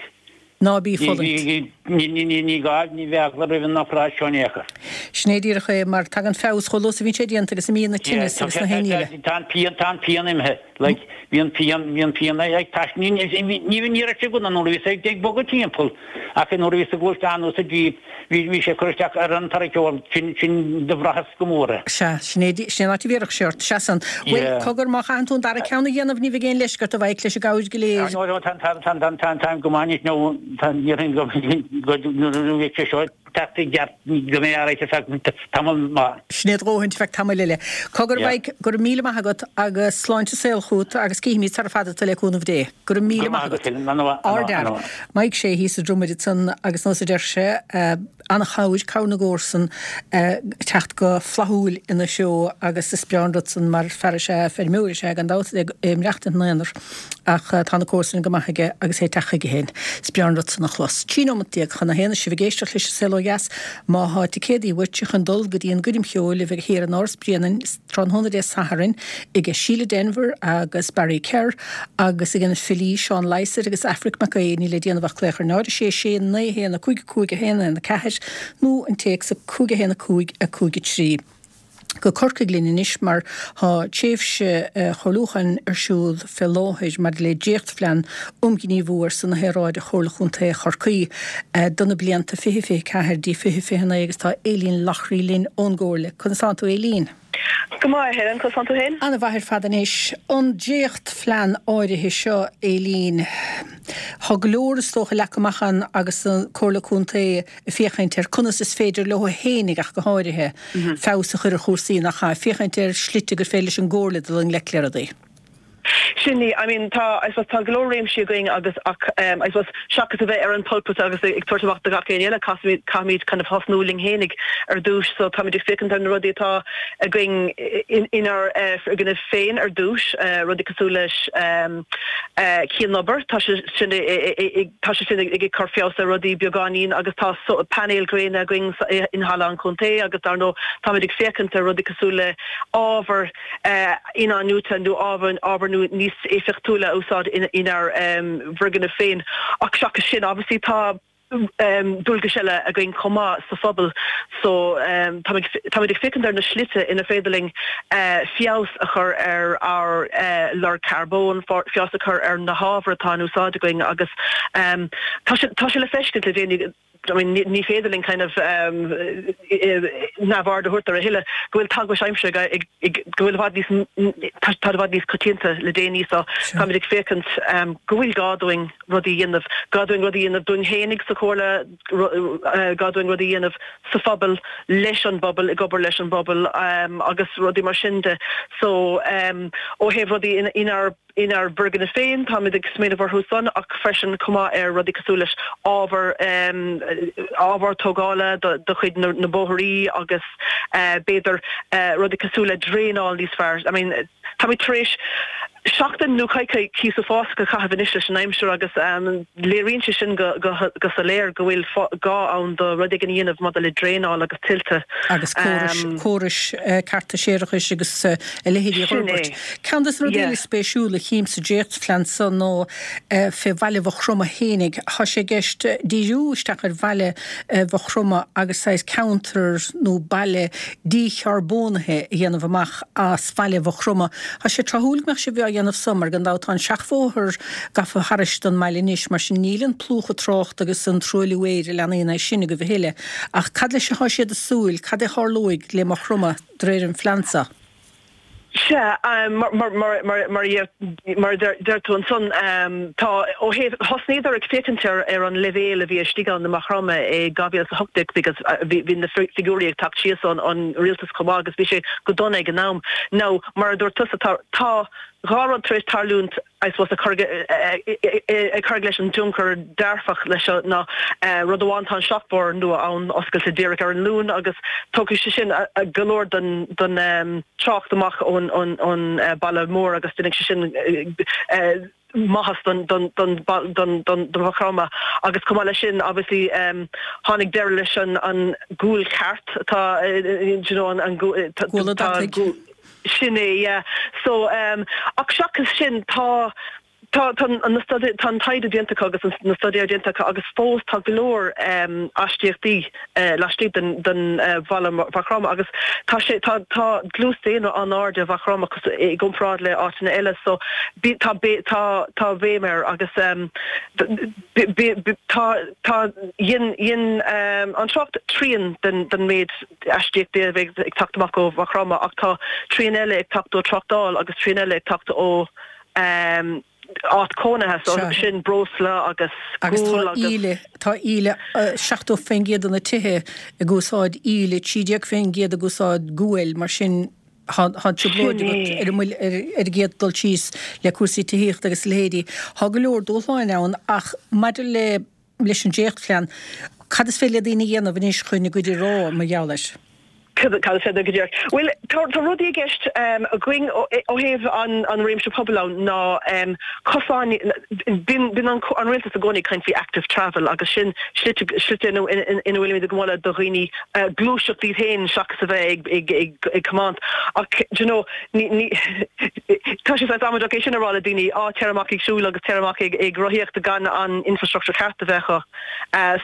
Ná bí ag fulaingt. Ní gá, ní bheadh eagla roimh an obráid seo in aon chor. Sin é díreach é, mar tagann feabhas chomh luath is a bhíonn sé déanta agus imíonn na tinneas agus na haon ní eile. Tá an pian, tá an pian imithe. Like, bhí an pian, bhí an pian ag tais, ní, ní, ní, ní raibh sé go nuair a bhíos ag, ag bogadh timpeall, ach nuair a bhíos ag gluaisteán nó sa Jeep, bhí, bhí sé ag cur isteach ar an tarraiceoir, sin, sin do bhraitheas go mór é. Sea, sin é, sin é an áit a bhéarfadh sé ort, sea san. Bhuel, Yeah. cogar, má chaitheann tú an dara ceann a dhéanamh, ní bheidh aon leisce ort a bheidh leis an gcabhair go léir. No, no, tá, tá, tá, tá, tá, táim go maith anois, nó, tá, déarfainn go, go, nuair a bheidh sé seo teacht i gceart, go mbeidh alright ar feadh tamall maith. Sin é a dhóthain ar feadh tamaill eile. Cogar Yeah. a Mhaidhc, go raibh míle maith agat agus sláinte saol chugat agus cífimid sara fada tú le cúnamh Dé. Go raibh míle Go maith maith agat, agat. Helen. Ana mhaith, ana mhaith, ana Ardfhear. mhaith. Maidhc Sé thíos i Drumaid ansan agus nós a deir sé, an-chabhair, cabhair na gcomharsan ag teacht go flaithiúil ina threo agus is breá an rud san mar fear is ea, feirmeoir is ea gan dabht, ag maireachtaint ina aonar ach tá na comharsana go maith aige agus é ag teacht chuige féin. Is breá an rud san a chlos. 13 nóimeat chun a haon is sibh ag éisteacht leis An Saol Ó. dheas. Má thá ticéadaí uait chun dul go dtí an gcoirm cheoil a bheidh thiar in Áras Bréanainn tráthnóna Dé Sathairn aige Síle Denvir agus Barry Kerr agus ag na filí Seán Lysaght agus Aifric Mac Aodha níl le déanamh ach glaoch ar 0 6 6 9 1 5 5 1 1 4 nó an téacs 5 1 5 5 3. Go Corcaigh linn anois mar tá tréimhse chomhairliúcháin ar siúl fé láthair maidir le dréachtphlean um ghníomhú ar son na haeráide Chomhairle Chontae Chorcaí do na blianta 2024 dtí 2029 agus tá Aileen Loughrey linn ón gComhairle. Conas tánn tú Aileen? Go maith a Helen, conas tánn tú féin? Ana mhaith ar fad anois. An dréachtphlean áirithe seo Aileen, tá go leor is dócha leagtha amach ann agus an Comhairle Contae ag féachaint ar conas is féidir leo fhéinig ach go háirithe, feabhas a chur ar chúrsaí, nach ea? Féachaint ar shlite gur féidir leis an gComhairle dul i ngleic le rudaí. Sin í. I mean tá, I suppose, tá go leor réimsí againn agus ach I suppose seachas a bheith ar an pulpit agus ag tabhairt amach do gach éinne eile, caithfimid, caithfimid kind of thosnú linn fhéinig ar dtús. So táimid ag féachaint ar na rudaí atá againn inár bhfoirgnimh féin ar dtús, rudaí cosúil leis cianobair, tá sé sin ag, Tá sé sin ag cur feabhas ar rudaí beagáinín agus tá painéil ghréine againn in Halla an Chontae agus dar ndóigh táimid ag féachaint ar rudaí cosúil le ábhar in-athnuaite nó ábhar níos éifeachtúla a úsáid inár bhfoirgnimh féin. Ach seachas sin obviously tá dualgais eile againn chomh maith sa phobal so táimid ag féachaint ar na slite inar féidir linn feabhas a chur ar ár lorg carbóin, feabhas a chur ar na hábhair atá in úsáid againn agus tá sé tá sé le feiscint le déanaí, I mean ní féidir linn kind of neamhaird a thabhairt air a thuilleadh go bhfuil teagmhais aimsire ag go bhfuil i bhfad níos tá i bhfad níos coitianta le déanaí so táimid ag féachaint go bhfuil gá dúinn rudaí a dhéanamh, gá dúinn rudaí a dhéanamh dúinn fhéinig sa Chomhairle, gá dúinn rudaí a dhéanamh sa phobal, leis an bpobal, ag obair leis an bpobal agus rudaí mar sin de. So ó thaobh rudaí inár inár bhfoirgnimh féin, táimid ag smaoineamh orthu san ach freisin chomh maith ar rudaí cosúil leis ábhar ábhar tógála do chuid na bóithrí agus b'fhéidir rudaí cosúil le draenáil níos fearr. I mean táimid tar éis seachtain nó coicíos uafásach a chaitheamh anois leis an aimsir agus léiríonn sé sin go soiléir go bhfuil gá ann do rud éigin a dhéanamh maidir le draenáil agus tuilte. Agus córais, córais cearta séarachais agus a leithéidí a fhorbairt. Ceann de na rudaí eile spéisiúla a chím sa dréachtphlean so ná fé bhaile Mhaigh Chromtha fhéinig. Tá sé i gceist díriú isteach ar bhaile Mhaigh Chromtha agus saghas ceantar nó baile dícharbónaithe a dhéanamh amach as baile Mhaigh Chromtha. Tá sé tráthúil go mbeadh sibh á dhéanamh so mar gan dabht tá an seachbhóthar gafa thairis don mbaile anois, mar sin níl an plúchadh tráchta agus an truailliú aeir a leanaíonn é sin agaibh a thuilleadh. Ach cad leis atá siad ag súil, cad é tharlóidh le Maigh Chromtha de réir an phlean so? Sea, mar a deir tú ansan, tá, ó thaobh, thosnaíodar ag féachaint ar an leibhéal a bhí istigh ann i Maigh Chromtha i 2018 because bhí na figiúirí ag teacht síos ón rialtas chomh maith agus bhí sé go dona ag an am. Now, mar a dúirt tusa, tá tá dhá rud tar éis tarlúint, I suppose, a chur ag cur leis an dtionchar dearfach leis seo ná rud amháin tá an seachbhóthar nua ann oscailte díreach ar an Luan agus tógfaidh sé sin go leor den den trácht amach ón ón baile mór agus déanfaidh sé sin maitheas don don don don don don Mhaigh Chromtha agus chomh maith leis sin obviously tháinig deireadh leis an an gualchairt atá you know an an Gual an deataigh. Sin é, yeah. So, ach seachas sin, tá, tá, tá na staidéir, tá an taighde déanta acu agus na staidéir déanta acu agus fós tá go leor aistíochtaí laistigh den, den bhaile Mhaigh Chromtha agus tá sé, tá, tá dlús daonra an-ard i Maigh Chromtha i gcomparáid le áiteanna eile so bí, tá, tá, tá béim air agus bí, bí, tá, tá, dhein, dhein an trácht trian den, den méid aistíochtaí a bheidh ag teacht amach ó Mhaigh Chromtha ach tá trian eile ag teacht ó tráchtáil agus trian eile ag teacht ó áit cónaithe so sin breosla agus gual agus. Agus tá íle, tá íle, 70% de na tithe ag úsáid íle, 13% ag úsáid guail, mar sin tá an trioblóid agat ar an mbuille, ar an gcéad dul síos le cúrsaí tithíochta agus a leithéidí. Tá go leor dúshláin ann ach maidir le leis an dréachtphlean, cad is féidir le daoine a dhéanamh anois chun a gcuid a rá mar gheall air? Cad is féidir go díreach? Bhuel, tá rudaí i gceist againn ó thaobh an réimse pobail ann ná cosáin, bíonn an rialtas i gcónaí ag caint faoi active travel agus sin slite ina bhfuilimid ag moladh do dhaoine gluaiseacht iad féin seachas a bheith ag tiomáint. Ach do you know, tá sé saghas amaideach é sin a rá le daoine, á téir amach ag siúl agus téir amach ag rothaíocht gan an infrastructure ceart a bheith acu.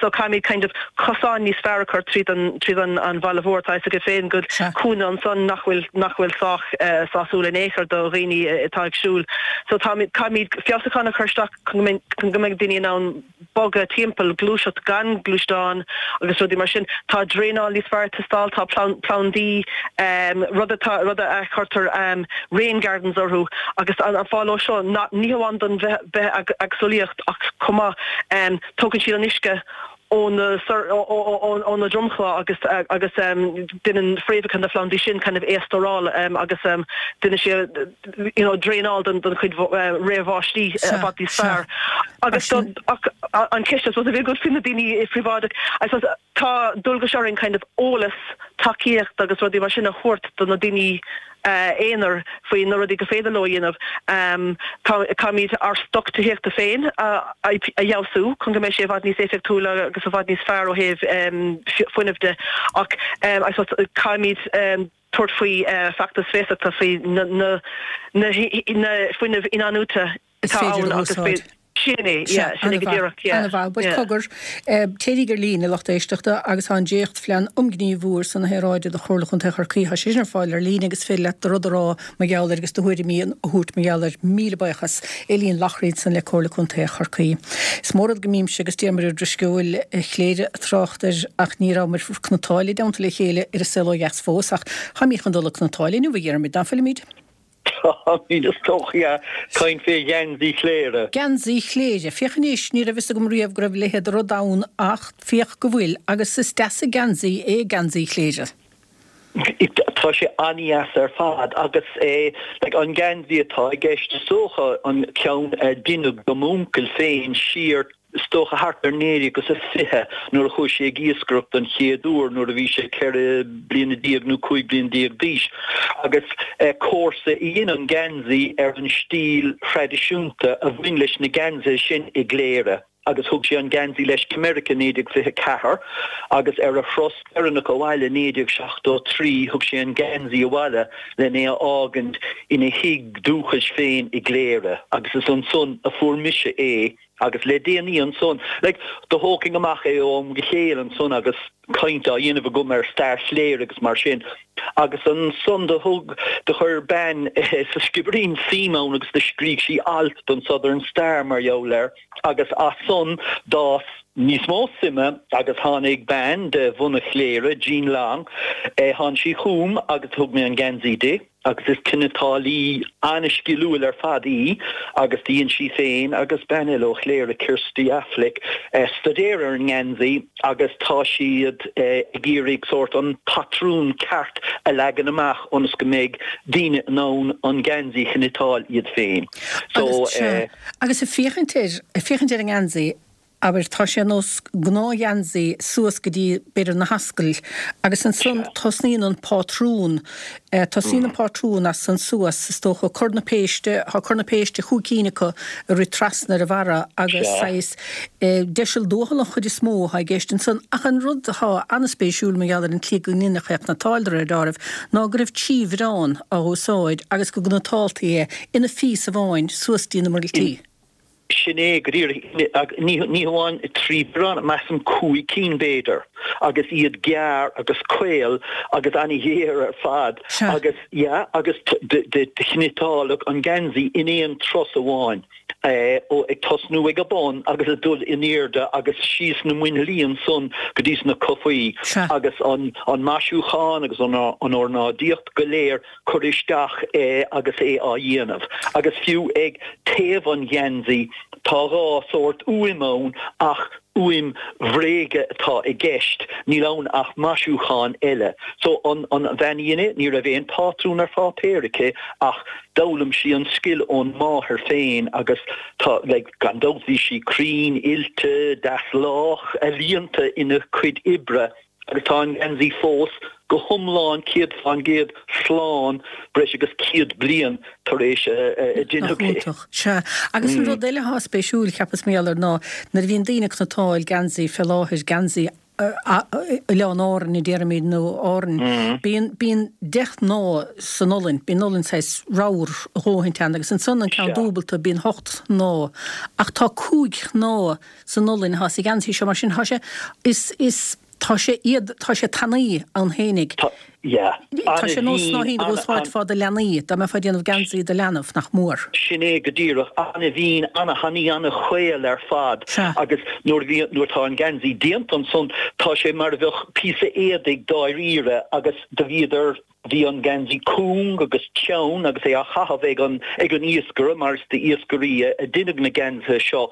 So caithfimid kind of cosáin níos fearr a chur tríd an tríd an an bhaile mhór. Tá a fhios agat féin go Sea. cúinne ansan nach bhfuil nach bhfuil sách sásúil in aon chor do dhaoine atá ag siúl. So táimid caithfimid feabhsúcháin a chur isteach chun go mbeidh chun go mbeidh daoine in ann bogadh timpeall, gluaiseacht gan gluaisteáin agus rudaí mar sin. Tá draenáil níos fearr ag teastáil, tá plandaí, rud atá rud a chuirtear rain gardens orthu agus an fáth leo seo ná ní hamháin don bithéagsúlaíocht ach chomh maith tógann siad an uisce ó na ó na dromchla agus agus déanann fréamhacha na phlandaí sin kind of é a stóráil agus déanann sé you know draenáil don don chuid rith bháistí i bhfad níos fearr. Agus ach an ceist I suppose a bhí agat faoi na daoine phríobháideach I suppose tá dualgas orainn kind of eolas, tacaíocht agus rudaí mar sin a thabhairt do na daoine aonair faoi na rudaí gur féidir leo a dhéanamh. Caithfimid ár stoc tithíochta féin a fheabhsú chun go mbeidh sé i bhfad níos éifeachtúla agus i bhfad níos fearr ó thaobh fuinnimh de ach I suppose caithfimid tabhairt faoi feachtas feasachta faoi na fuinneamh inathnuaite is atá féidir ann a agus úsáid. Sin é, Sea, yeah, sin é go an-mhaith, díreach, yeah, an-mhaith. Bhuel, yeah. cogar, téiríg ar líne, a lucht éisteachta, agus tá an dréachtphlean um ghníomhú ar son na haeráide do Chomhairle Chontae Chorcaí, tá sé sin ar fáil ar líne agus is féidir leat do rud a rá mar gheall air agus do thuairimí a thabhairt mar gheall air. Míle buíochas. Eileen Loughrey ansan le Comhairle Contae Chorcaí. Is mór rud go mbímse agus Diarmuid Ó Drisceoil Chléire ag trácht air ach ní rabhamar ag cniotáil i dteannta le chéile ar an saol ó dheas fós ach táimid chun dul ag cniotáil inniu, a Dhiarmuid, ná fuilimid? Táimid, is dócha, yeah. Caint fé gheansaí Chléire. Geansaí Chléire. Féach anois, ní raibh fhios agam riamh go raibh a leithéid de rud ann ach féach go bhfuil, agus is deas an geansaí é geansaí Chléire. Tá sé an-dheas ar fad agus é, like, an geansaí atá i gceist is dócha an ceann a deineadh do m'uncail féin siar is dócha thart ar 1920 nuair a chuaigh sé ag iascaireacht don chéad uair nuair a bhí sé 14 bliana nó 15 bliana d'aois agus comharsa a dhein an geansaí ar an stíl thraidisiúnta a bhain leis na geansaithe sin i gCléire agus thug sé an geansaí leis go Meiriceá i 1924 agus ar a thuras deireanach abhaile i 1973 thug sé an geansaí abhaile len é a fhágaint ina thigh dúchais féin i gCléire agus is ansan a fuair mise é Agus le déanaí ansan, like, do thógfainn amach é ó am go chéile ansan agus caint á dhéanamh agam ar stair Chléire agus mar sin. Agus ansan do thug, do chuir bean sa Sciobairín suim ann agus do scrígh sí alt don Southern Star mar gheall air agus as san d'fhás níos mó suime agus tháinig bean de bhunadh Chléire, Jean Long, tháinig sí chugam agus thug mé an geansaí di. agus is cniotálaí an-sciliúil ar fad í agus do dhein sí féin agus bean eile ó Chléire, Kirsty Affleck, staidéar ar an ngeansaí agus tá siad ag iarraidh sórt an patrún ceart a leagan amach ionas go mbeidh daoine in ann an geansaí a chniotáil iad féin. So. Agus, sea, agus ag féachaint air, ag féachaint ar an ngeansaí, Abair, tá sé ar nós gnáthgheansaí suas go dtí, b'fhéidir, na hascaill agus ansan tosnaíonn an pátrún, tosaíonn an pátrún as san suas, is dócha, cor na péiste, tá cor na péiste, chúig cinn acu ag rith trasna ar an bharra agus saghas deiseal tuathal an chuid is mó atá i gceist ansan. Ach an rud atá an-spéisiúil mar gheall ar an tslí go ndeineadh é a chniotáil de réir deáraimh ná go raibh trí bhiorán á úsáid agus go gcniotáiltí é ina phíosa amháin suas dtí na muiriltí. Sin é go díreach. Ní hamháin 3 bhiorán, measaim 5 cinn b'fhéidir, agus iad gearr agus caol agus an-ghéar ar fad agus, yeah, agus do chniotáladh an geansaí in aon turas amháin, ó ag tosnú ag a bun agus ag dul in airde agus síos na muinchillí ansan go dtí sna cufaí agus an maisiúchán agus an ornáidíocht go léir curtha isteach agus é á dhéanamh. Agus fiú ag taobh an gheansaí tá dhá sórt úim ann ach úim bhréige atá i gceist, níl ann ach maisiúchán eile. So an bhean a dhein é, ní raibh aon phátrún ar pháipéar aici ach d'fhoghlaim sí an scil ón máthair féin agus tá, like, gan dabht bhí sí cruinn, oilte, deas lách, ealaíonta ina cuid oibre. Agus tá an geansaí fós. go hiomlán 100% slán breis agus 100 bliain tar éis a deineadh é. Nach iontach. Sea. Agus an rud eile atá spéisiúil, cheapas mar gheall air ná nuair a bhíonn daoine ag cniotáil geansaí fé láthair, geansaí Oileáin Árann a déarfaimid nó Árainn, bíonn, bíonn 10 shnáth san olainn, bíonn olainn saghas ramhar a dhóthaint ann agus ansan an ceann dúbalta bíonn hocht shnáth ach tá cúig shnáth san olainn atá sa gheansaí seo mar sin tá sé, is, is, tá sé iad, tá sé tanaí ann fhéinig. Tá, yeah. Tá sé nós snáithín a dh'úsáidfeá do leanaí, dá mbeifeá ag déanamh geansaí do leanbh, nach mór. Sin é go díreach. Ana-mhín, ana-thanaí, ana-chaol ar fad. Sea. Agus nuair a bhí, nuair atá an geansaí déanta ansan, tá sé mar a bheadh píosa éadaigh dáiríre agus do bhíodar, Bhí an geansaí cúng agus teann agus é á chaitheamh ag an ag an iascaire mar is d'iascairí a deineadh na geansaithe seo.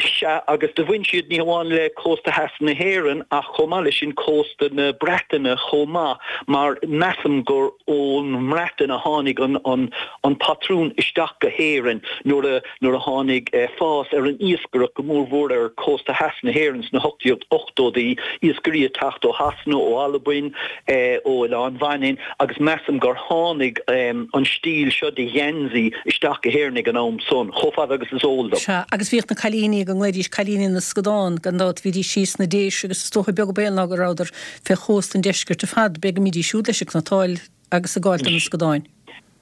Sea, agus do bhain siad ní hamháin le cósta theas na hÉireann ach chomh maith leis sin cósta na Breataine chomh maith mar measaim gur ón mBreatain a tháinig an an an patrún isteach go hÉirinn nuair a nuair a tháinig fás ar an iascaireacht, go mórmhór ar chósta theas na hÉireann sna 1880idí, iascairí ag teacht ó Shasana, ó Albain, ó Oileán Mhanainn agus measaim gur tháinig an stíl seo de gheansaí isteach go hÉirinn ag an am san, chomh fada agus is eol dom. Sea, agus bhíodh na cailíní go nglaoidís cailíní na scadán, gan dabht, bhídís síos sna Déise agus is dócha beag an baol ná go rabhadar fé chósta an deiscirt ar fad, b'fhéidir go mbídís siúd leis ag cniotáil agus ag gabháil do na scadáin.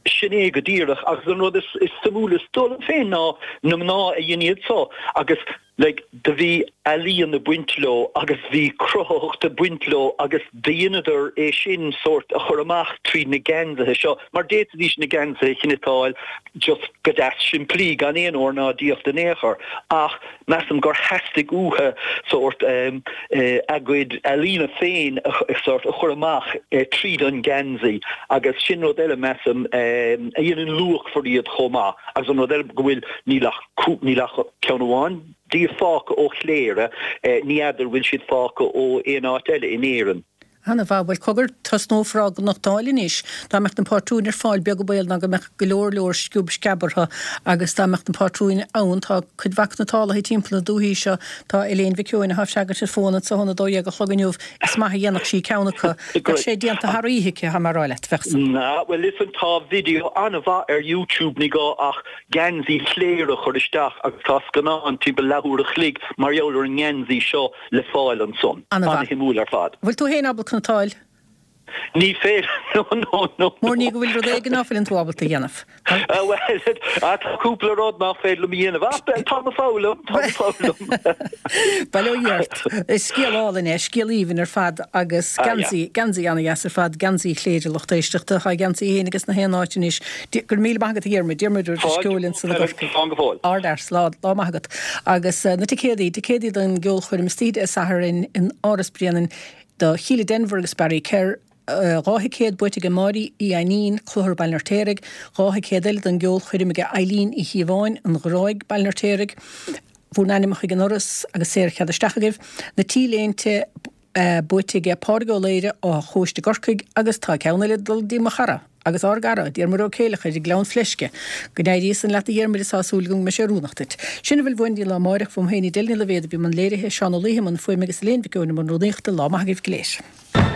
Sin é go díreach. Agus an rud is suimiúla is dóigh liom féin ná na mná a dhein iad so agus like do bhí ealaíon ag baint leo agus bhí cruthaitheacht ag baint leo agus do dheineadar é sin sórt a chur amach tríd na geansaithe seo mar d'fhéadfaidís na geansaithe a chniotáil just go deas simplí gan aon ornáidíocht in aon chor ach Measaim gur theastaigh uathu sórt a gcuid ealaíne féin sórt a chur amach tríd an ngeansaí agus sin rud eile, measaim, a dhéanann luachmhar iad chomh maith. Agus an rud eile go bhfuil, níl ach, níl ach ceann amháin díobh fágtha ó Chléire, ní fheadar bhfuil siad fágtha ó aon áit eile in Éirinn. Ana mhaith. Bhuel, cogar, tosnófar á gcniotáil anois. Dá mbeadh na pátrúin ar fáil, beag an baol ná go mbeadh go leor leor sciob sceab orthu agus dá mbeadh na pátrúin ann, tá cuid mhaith cniotálaithe timpeall na dúichí seo. Tá Elaine Mhic Eoin, atá ag freagairt ar fón anso óna 12 a chlog inniu, is maith a dhéanfadh sí ceann acu. Bheadh sé déanta thar oíche aici, tá mé a rá leat. Bheadh san. Na, bhuel, listen, tá video an-mhaith ar YouTube, ní gá ach geansaí Chléire a chur isteach agus tá scannán timpeall leathuair a chloig mar gheall ar an ngeansaí seo. le fáil ansan. Ana-shuimiúil ar fad. Bhfuil tú féin ábalta cniotáil? Ní féidir, no, no, no. Mór ní go bhfuil rud éigin ná fuileann tú ábalta a dhéanamh. Bhuel, tá cúpla rud nach féidir liom a dhéanamh, ach táim ag foghlaim, táim ag foghlaim. Bail ó Dhia ort. Is scéal álainn é, scéal aoibhinn ar fad agus geansaí, geansaí ana-dheas ar fad, geansaí Chléire lucht éisteachta. Tá geansaí féin ages na haon áit anois. Go raibh míle maith agat a Dhiarmuid, Diarmuid Ó Drisceoil ansan i gCorcaigh. Slán go fóill. Ardfhear, slán, lá maith agat. Agus na ticéadaí, ticéadaí don gceolchoirm istoíche Dé Sathairn in Áras Bhréanainn do Shíle Denvir agus Barry Kerr, 2 thicéad buaite aige Máirí Uí Ainnín, Clochar Baile an Fheirtéaraigh, 2 thicéad eile don gceolchoirm aige Eileen Uí Chíobháin, An Ghráig, Baile an Fheirtéaraigh. Bhur n-ainmneacha ag an ndoras agus saorchead isteach agaibh. Na T-léinte. buaite aige Pádraig Ó Laoire, Áth Chóiste i gCorcaigh agus tá ceann eile ag dul dtí mo chara agus ár gcara, Diarmuid Ó Céileachair i nGleann Fleisce. Go n-éirí san leat a Dhiarmuid is tá súil agam go mbeidh sé oiriúnach duit. Sin a bhfuil uainn go dtí an lá amáireach, uaim féin Edel Ní Loibhéad a bhí i mbun léirithe, Seán Ó Laoithe i mbun fuaime agus Elaine Mhic Eoin i mbun rúnaíochta. Lá maith agaibh go léir.